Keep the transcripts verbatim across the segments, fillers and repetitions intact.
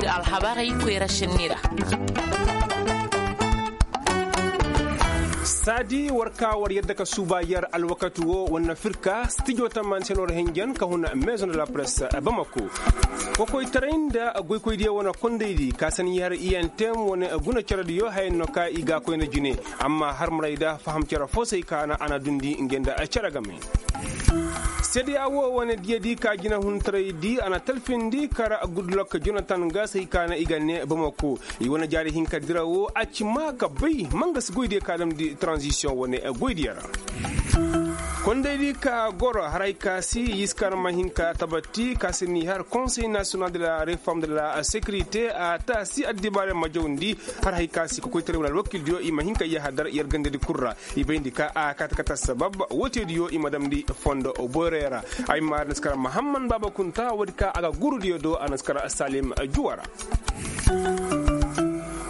Alhabarey koyra senni ra. Saadi war ka war yadda ka suuba yer alwakati wo war na firka stijo tamani se no war hinjan ka huna maison de la presse bamako. Kokoytaray nda goykoydiyo wane kondaydi ka san yer iyantem wane guna cerediyo hayan no ka i ga koyna jine. Amma har maray da faham cere fo se i ka na a na dundi nge nda cere game. Seede ya wo wane diyadi ka jinahuntaray di a na talfindi kara gudlok jonatan ga se i ka na i ga ne bamako. I wane jaari hinka dira wo a ci ma ka bay manga si goydiyo ka damndi tranzisiyoŋ wane goydiyo ra. Kondaydi ka goro haray ka si yiskar ma hin ka tabatti ka si ni har konsey nasiyonal de la reform de la sekirite a taasi addibaare ma jawndi. Har hay ka si kokoytaray wala alwakildiyo i ma hin ka yahadar yer gandadi kul ra. I bayndi ka a kata kata sabab wooteediyo i ma damndi fondo boyray ra. Ay ma a na si kar mahamman baaba kunta woodi ka a ga gurudiyo do a na si kar salim juwa ra.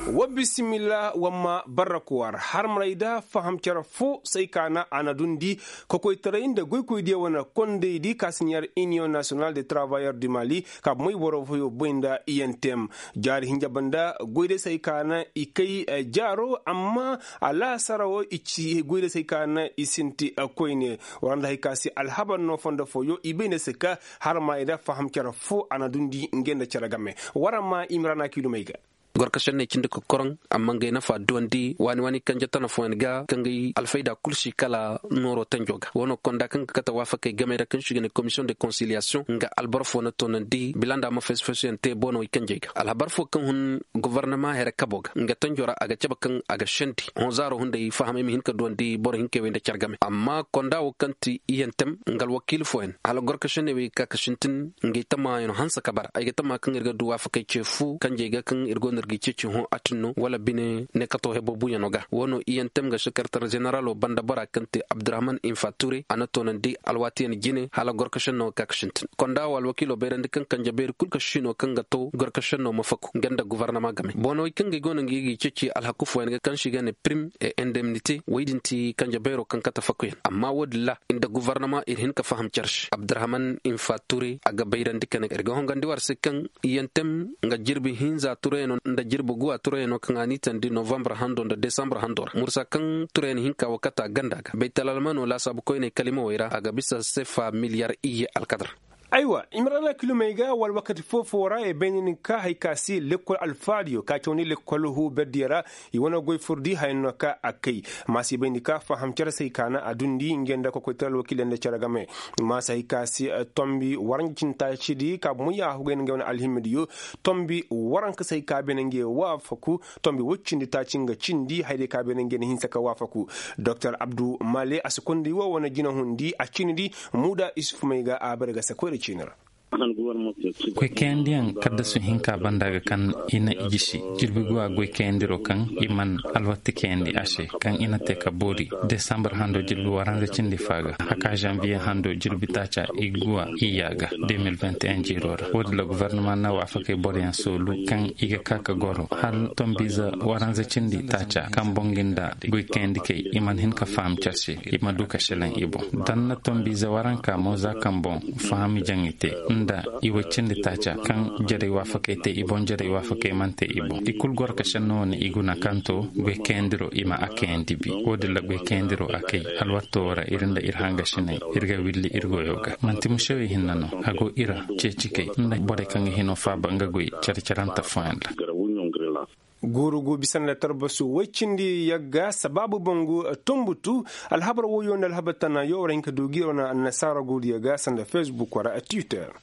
Wa bisimilla wa ma barrakuwar har maray da faham cere fo say ka na a na dundi kokoytaray nda goykoydiyo wane kondaydi ka si ɲar iniyoŋ nasiyonal de travayeur du mali ka bomoy boro foyo boy nda iyentem. Jaari hinja banda goyday say ka na i kay jaaro amma alaasara wo i ci goyday say ka na i sinti koyne. War nda hay ka si alhabar no fondo foyo i bay ne se ka har ma i da faham cere fo a na dundi nge nda cere game. War ma imrana kilumey ga. Gorka senney cindi ka koroŋ amma ngay nafa duwandi waani waani kanje tana fooyaŋ ga kaŋ gay alfayda kul si kala nooro tanjo ga wano konda kaŋ ga kate waafakey gamey ra kaŋ si ga ne komisiyoŋ de konsiliyasiyoŋ nga alboro foo na toonandi bila nda a ma faysi faysiyaŋ te boonawey kanjey ga alhabar foo kaŋ hun gofornama here kabo ga nga tanjo ra a ga cabe kaŋ a ga sendi honzaaro hunday fahamey ma hin ka duwandi boro hinkey wey nda care game amma konda wo kaŋ ti iyentem nga alwakiila fooyaŋ hala gorka senney wey ga ka ka sintin ngey tamaayaŋ hanse ka bara ay ga tamaa kaŋ ir ga du waafakey ce fu kanjey ga kaŋ ir go no ir ga i ceeci hõ atin no wala bine ne kato hebo buuyaŋo ga wo no iyantem ga sekeretar zeneralo banda bora kaŋ te abdurahman infa ture a na toonandi alwaatiyaŋ jine hala gorkasenno ga ka ga sintin konda wo alwakiilo bayrandi kaŋ kanje bayri kul ka siino kaŋ ga to gorkasenno ma faku nga nda gofornama game boonawey kaŋ ga i go no nga i ga i ceeci alhaku fooyaŋ ga kaŋ se i ga ne prim e indemnite wey din ti kanje bayro kaŋ kate fakuyaŋ amma wo-din ra nda gofornama ir hin ka faham care se abdurahman infa ture a ga bayrandi ka ne ir ga hongandi war se kaŋ iyantem nga jirbi hinza turayaŋo nda jirbi guwa turayaŋo kaŋ a n'i tandi novambar hando nda desambar hando ra mursa kaŋ turayaŋ hinka wakata ganda ga baytalalmano laasaabu koyney kalimawey ra a ga bisa sefa miliyar iyye alkadar. Aywa imrana kilomey ga wala wakati foo-foo ra i bay ni nin ka hari ka se lekkol alfaadiyo ka cawandi lekkol huu berdiyo ra. I wane goy furdi haya no ka a kay. Maasa i bay ni ka faham cere se hay ka na a dundi nge nda kokoytaray alwakiiley nda cere game. Maasa hay ka se tombi waranza cindi taacidi ka bomo yaahu gay na ngey wane alhimmidiyo. Tombi waranka se hay ka beene ngey waafaku. Tombi woy cindi taaci nga cindi haydey ka beene ngey na hinsa ka waafaku. Doktor abdu male a si konday woo wane jinahundi a ciinidi. Muuda isufumey ga a bare ga se koyra ciini ra. Goy kayandiyaŋ kaddasu hinka banda ga kaŋ i na i gisi jirbi guwa goy kayandiro kaŋ i man alwatti kayandi a se kaŋ i na te ka boori desambar hando jirbi waranza cindi fa ga haka zanviye hando jirbi taaca i guwa iyya ga. Deux mille vingt et un jiiro ra wo-din ra gofornama na waafakey boroyaŋ soolu kaŋ i ga ka ka goro hala tombiize waranza cindi taaca kaŋ boŋ ga nda goy kayandikey i man hin ka faham care se i ma du ka selaŋ i boŋ. Danna tombiize waranka mo za kaŋ boŋ fahami jaŋ i te nda i woy cindi taaca kaŋ jarey waafakey te i boŋ jarey waafakey mana te i boŋ i kul goro ka senno wane i guna kaŋ to goy kayandiro i ma a kayandi bi wo-din ra goy kayandiro a kay alwatto wo ra ir nda ir hangasiney ir ga willi ir goyo ga man'ti musewey hinne no a go ir ceeci kay nda borey kaŋ ga hino faaba nga goy care-carante fooyaŋ ra. Guurugu bisa nda tarbasu woy cindi yagga sabaabu bangu tumbutu. Alhabar woyo nda alhabar tana yo war hin ka du gi wane annasaara guuruyo ga sanda facebook wara twitter.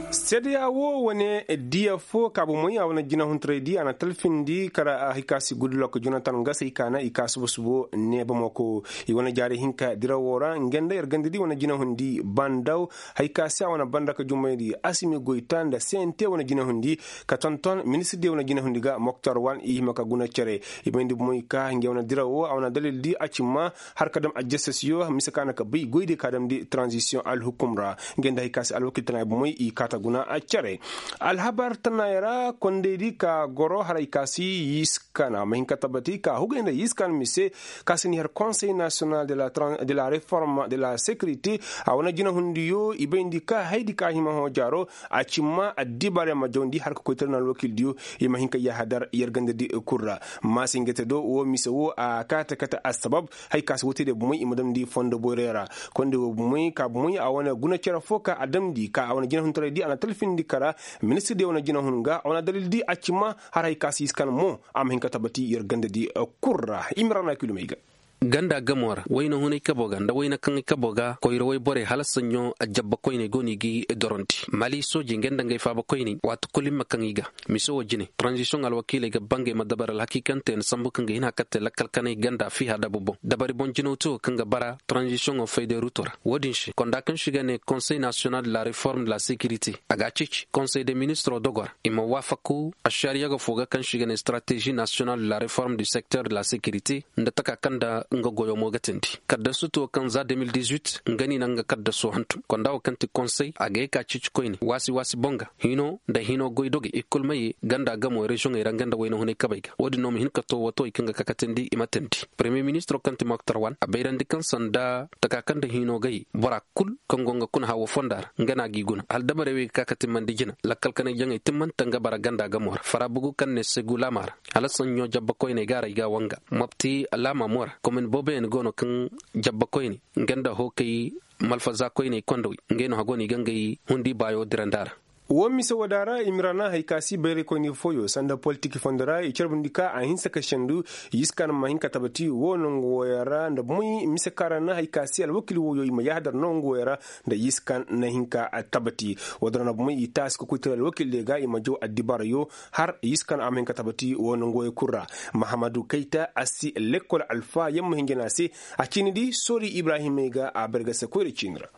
Seedeya wo wane diya fo kaabu moy a wane jinahuntaray di a na talfindi kara a hay ka si gudulok jonatan ga se i kaana i ka subo-subo neebamako. I wane jaari hinka dirawo ra nge nda yer ganda di wane jinahundi bandaw. Hay ka se a wane banda ka jumayndi asimi goyta nda cnt wane jinahundi ka tonton ministir di wane jinahundi ga moktar wan i hima ka guna cere. I bayndi bomoy ka nge wane dirawo a wane dalil di a cimma har ka dam ajjasasiyo mise ka na ka bay goydi ka damndi tranzisiyoŋ alhukum ra. Nge nda Ka si alwakil tana bomey i kaata guna care. Alhabar tanaayey ra kondaydi ka goro haray ka si yiskan a ma hin ka tabati ka hugay nda yiskan mise ka si ni har konsey nasiyonal de la reform de la sekirite. A wane jinahundiyo i bayndi ka haydi ka hima hõ jaaro a cimma addibaarey ma jawndi har ka koy tara na alwakildiyo i ma hin ka yahadar yer gandadi kul ra. Maasingete do wo mise wo a kaate kate assabab. Hay ka si wootey de bomey i ma damndi fondo boyray ra. Konde wo bomey ka bomey a wane guna cere fo ka a damndi ka a wane jinahuntaray di a na talfindi kara. Ministir di wane jinahun ga a wane dalil di a ci ma har hay ka si iskan mo a ma hin ka tabati yer ganda di kul ra. Imira na kilomey ga. Ganda gamo ra wayna hunay kabo ga nda wayna kaŋ i kabo ga koyra wayborey hala saɲɲo. Jabba koyney go no i ga i dorondi mali soojey nga nda ngey faaba koyney waati kulu i ma kaŋ i ga. Mise wo jine tranzisiyoŋ alwakiiley ga bangey ma dabari alhakiikante na sambu kaŋ ga hin a katte lakkal kanay ganda fiha dabu boŋ dabari boŋ jinaw te wo kaŋ ga bara tranzisiyoŋo fayday ruto ra. Wo-din se konda kaŋ se i ga ne konsey nasiyonal de la reform de la sekirite a ga a ceeci konsey de ministiro dogo ra i ma waafaku ašariyaga fo ga kaŋ se i ga ne strateži nasiyonal de la reform du sekter de la sekirite. Nda taka kaŋ nda nga goyo mo ga tindi kaddasu to kaŋ za de mil dix-huit nga no i na nga kaddaso hantum konda wo kaŋ ti konsey a ga ye ka ceeci koyne waasi waasi boŋ ga hino nda hino goy dogey i kulu ma ye ganda gamo reziyoŋey ra nga nda wayna hunay kabey ga wo-din no ma hin ka to wato i kaŋ ga kakatandi i ma tandi. Paremiye ministiro kaŋ ti moktar wan a bayrandi kaŋ sanda taka kaŋ nda hino ga ye bora kulu kaŋ go nga kuna hawo fonda ra nga no a g'i guna hala dabarey wey ga ka ka timmandi jina lakkal kanay jaŋey timmanta nga bara ganda gamo ra fara bugu kaŋ ne segu laama ra. Hala saɲɲo jabba koyney ga a ra i ga a wanga mopti laama mo ra komin booboyaŋ go no kaŋ jabba koyney nga nda hookay malfaza koyney kondawey ngey no hago no i ga ngey hundi baayo dirandi a ra. Wo mise wooda ra i ma ra na hay ka si bayraykoyni fooyo sanda politik fondo ra i carbundi ka a hinsa ka sendu. Yiskan ma hin ka tabati wo nangu wooyaŋ ra nda bomoy mise kaŋ ra na hay ka si alwakil wooyo i ma yahadar nangu wooyaŋ ra nda yiskan na hin ka tabati. Wooda ra nda bomoy i taasi ka koy tira alwakil de ga i ma jaw addibaarayo har yiskan a ma hin ka tabati wo nangu wooyaŋ kul ra. Mahamadu kayta a si lekkol alfa yamma hinja no a se. A ciini di soori ibrahimey ga a bargase koyra ciini ra.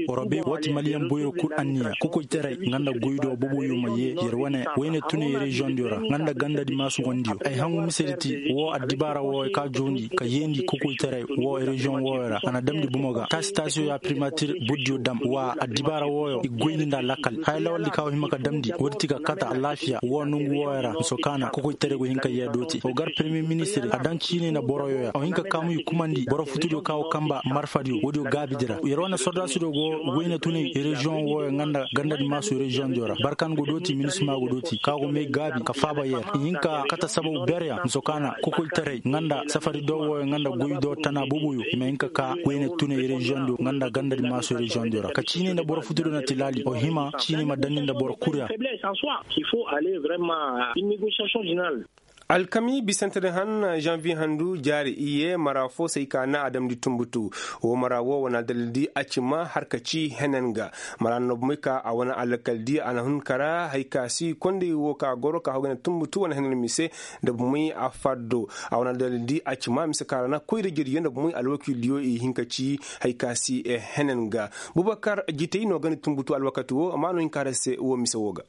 War bay woo ti maliyaŋ boyro kul anniya kokoytaray nga nda goydo boboyo ma yee yer wane wayne tunay reziyoŋ diyo ra nga nda ganda di maasu wandiyo ay hangu misedi ti woo addibaara wooyo ka joondi ka yeendi kokoytaray woo reziyoŋ wooyo ra a na damndi bomo ga taasi taasiyo ya primatir burdiyo dam wa addibaara wooyo i goyndi nda lakkal haya lawaldi ka woo hima ka damndi woodi ti ga kata alaafiya woo nongu wooyo ra miso kaana kokoytaray go hin ka yee dooti woo gar peremiye ministir a daŋ ciiney nda boroyo ya woo hin ka kaamu i kumandi boro futudiyo ka woo kamba marfadiyo woodiyo gaabidi ra yer wane sordaasidiyo go wayna tunay reziyoŋ wooyo nga nda gandadi maasu reziyoŋdiyo ra barkan go dooti minisima go dooti ka go may gaabi ka faaba yer i hin ka kata sababu berya miso kaana kokoytaray nga nda safari do wooyo nga nda goy do tana boboyo i ma hin ka ka wayna tunay reziyoŋdiyo nga nda gandadi maasu reziyoŋdiyo ra ka ciiney nda boro futudiyo na tilaali woo hima ciiney ma daŋ ni nda boro kul ra. Alkami bisante din han zanviye handu jaari iyye mara fo se ay ka na a damndi tunbutu. Woo mara woo wane aldalil di a ci ma har ka ci henen ga mara no bomey ka a wane alkal di a na hun kara hay ka si kondey woo ka goro ka hogay nda tunbutu wane henen mise. Nda bomey a faddo a wane aldalil di a ci ma mise ka ra na koyra jariyo nda bomey alwakildiyo i hin ka ci hay ka si henen ga. Bubakar jitey no gandi tunbutu alwakati woo amma no hin ka har se woo mise woo ga.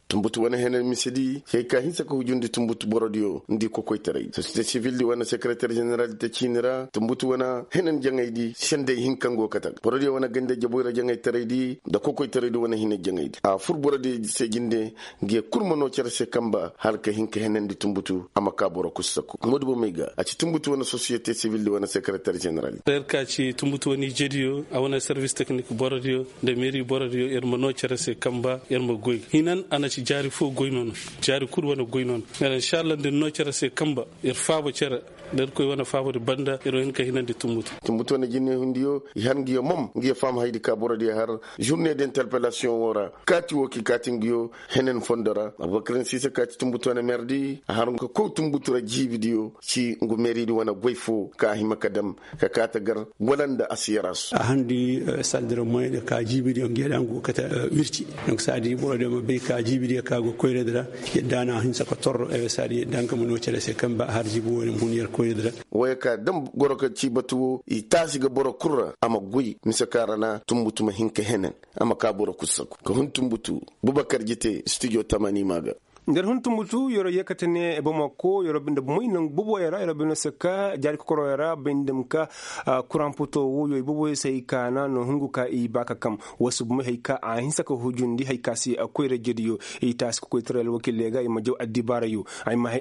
Tunbutu wane henen misedi hay ka hinsa ka hujundi tunbutu borodiyo nda i kokoytaray sosiyete sivil di wane sekereter jeneral di ta ciini ra tunbutu wane henen jaŋaydi sendey hinka nga go kate ga borodiyo wane ganda jaboyra jaŋaytaraydi nda kokoytaraydi wane hina jaŋaydi a fur borodiyo se jinde. Nga ye kul ma noo cere se kamba hala ka hin ka henandi tunbutu a ma ka boro kul saku moodi bomey ga a ci tunbutu wane sosiyete sivil di wane sekereter jeneral. Yer ka ci tunbutu wane ijediyo a wane servis teknik borodiyo nda meeri borodiyo yer ma noo cere se kamba yer ma goy hinan a na ci jaari fo goy no no. Jaari kul wane goy no no. Yer inshallah nda yer noo cere se kamba yer faaba cere nda yer koy wane faabadi banda yer wo hin ka hinandi tunbutu. Tunbutu wane jinne hundiyo i har nga yo mom nga yo faham hayadi ka borodiyo har žurne de interpelasiyoŋ woo ra kaati woo ka i kaati nga yo henen fondo ra abubakar nsiisa ka ci tunbutu wane merdi a har nga ka kow tunbutu ra jiibidiyo ci ngu meeridi wane goy fo ka a hima ka dam ka kaate gar wala nda a si yarasu. A handi saldira moyne ka jiibidiyo nga yadda nga go kate wirci. Donc saadi borodiyo ma bay ka jiibidiyo ka go koyradi ra yadda na a hinsa ka torro saadi yadda nga ma noo cere se kamba a har jiibi wo-din ma hun yer koyradi ra. Wooyo ka dam goro ka ci batu wo i taasi ga boro kul ra a ma goy mise ka ra na tunbutu ma hin ka henen a ma ka boro kul saku ka hun tunbutu. Bubakar jite stijo tamani ma ga. Nda yer hun tumbutu yer wo yeekate ne bamako yer wo binde bomey nangu boboyo ra yer wo binde se ka jaari kokoroyo ra bay nda ma ka kuraŋ poto woyo i boboyo se hay kaana no hungu ka i ba ka kam. Woo si bomey hay ka a hinsa ka hujundi hay ka si koyra jediyo i taasi ka koy taray alwakiiley ga i ma jaw addibaarayo.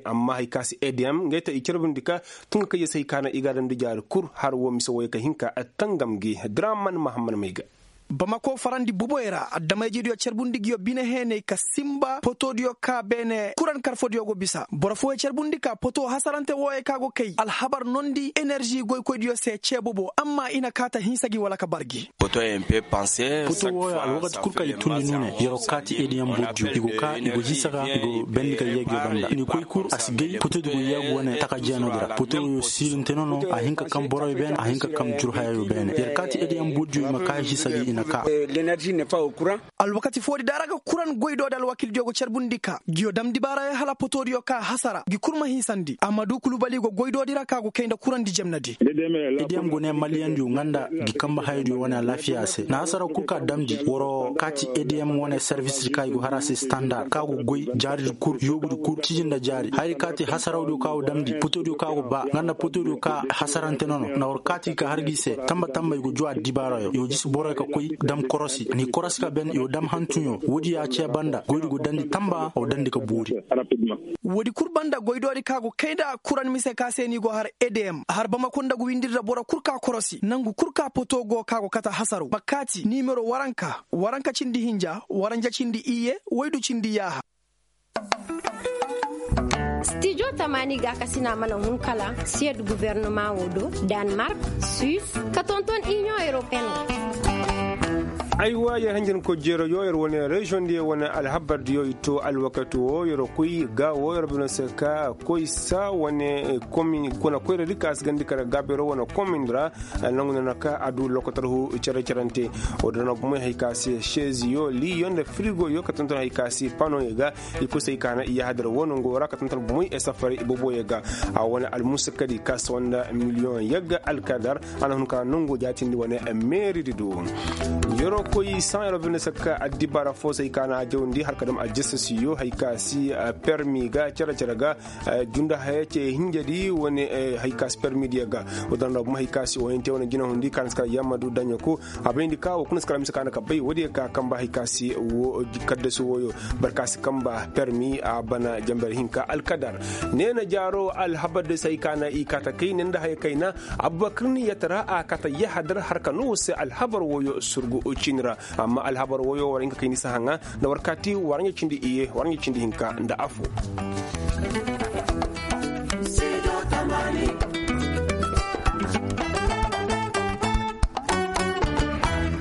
Amma hay ka si edm ngey te i carbundi ka tunga kayya se hay kaana i ga a damndi jaari kul har woo mise woyo ka hin ka tangam gi draman mahamman may ga. Bamako farandi boboyo ra addamayjediyo carbundi nguyo bine heenay ka sinba potodiyo ka beene kuran karfodiyo go bisa boro fooyo carbundi ka poto hasarante wooyo ka go kay alhabar nondi enerži goykoydiyo se cee bobo amma i na kaa ta hinsa gi wala ka bar gi. Poto wooyo alwakati kul ka i tundi nuune yer wo kaati eediyaŋ bordiyo i go kaa i go hinsa ga i go bendi ka yee nguyo banda ni koy kul a si gay potodi go yee ga wane taka jeenoodi ra poto wooyo siirinte no no a hin ka kam boroyo beene a hin ka kam jur hayayo beene yer kaati eediyaŋ bordiyo i ma kaa hisa gi i na kaa. Alwakati foodi da ra ga kuran goydoodi alwakiildiyo go carbundi ka nguyo dam dibaarayo hala potoodiyo ka hasara ngi kul ma hiisandi amma du kulubali go goydoodi ra ka go kay nda kurandi jemnadi. Ediyam go ne maliyandiyo nga nda ngi kamba hayadiyo wane alaafiya se na hasara kul ka damndi war wo kaati ediyam wane servisdi ka i go har a se standar ka go goy jaaridi kul yoobudi kul ciji nda jaari hayadi ka te hasarawdiyo ka go damndi potodiyo ka go ba nga nda potodiyo ka hasarante nono na war kaati ka har gi se tamba tamba i go juu addibaarayo i go jisi boroyo ka koy dam korosi ni korosi ka ben i go dam hantuɲo woodi ya cee banda goydi go dandi tamba a go dandi ka boori. Woodi kul banda goydoodi ka go kay nda kuran mise ka se ni go har edm har bamako nda ga windir nda boro kul ka korosi nangu kul ka poto go ka go kate hasaraw ma kaati nimero waranka waranka cindi hinja waranja cindi iyye waydu cindi yaaha. Stijo tamaani gaakasina mana hun kala siyed guwernama wo do, danmark, suis, ka tonton iniyoŋ europeen. Aywa yer hanjanko jeero yo yer wane reziyoŋ diyo wane alhabar diyo i to alwakati wo yer koy ga wo yer bino se ka koy sa wane komin kuna koyradi ka si gandi kara gaabero wane komin ra. Nangu na na ka a du lokotar hu cere cerante. Wo da na gumay hay ka se seziyo liyo nda firigoyo ka tonton hay ka se panoyo ga. I kusay ka na i yahadar wo nango ra ka tantan bumey e safari i boboyo ga. A wane almusakadi ka sawa nda miliyoŋ yagga alkadar. A na hun ka nango jaatindi wane meeridi do. Yeroo koy saŋ yeroo binde sakka addibaara foosey ka na a jawndi har ka dam aljasasiyo hay ka si permi ga cere cere ga. Junda haya ce hinjadi wane hay ka si permi diya ga. Wo danda bumey hay ka si woyante wane jinahundi ka na si kala yammadu daɲa ko. A bayndi ka wo kuna si kala mise ka na ka bay woodiyo ka kamba hay ka si wo kaddasi woyo. Boro ka si kamba permi a bana jamber hinka alkadar. Neena jaaro alhabar da se hay ka na i kaata kayna nda haya kayna. Abubakar ni yatara a kaata yahadar har ka no wo se alhabar woyo surgu ciini ra. Amma alhabar woyo war hinka kayni si haŋa nda war kaati war ɲa cindi iye war ɲa cindi hinka nda afo.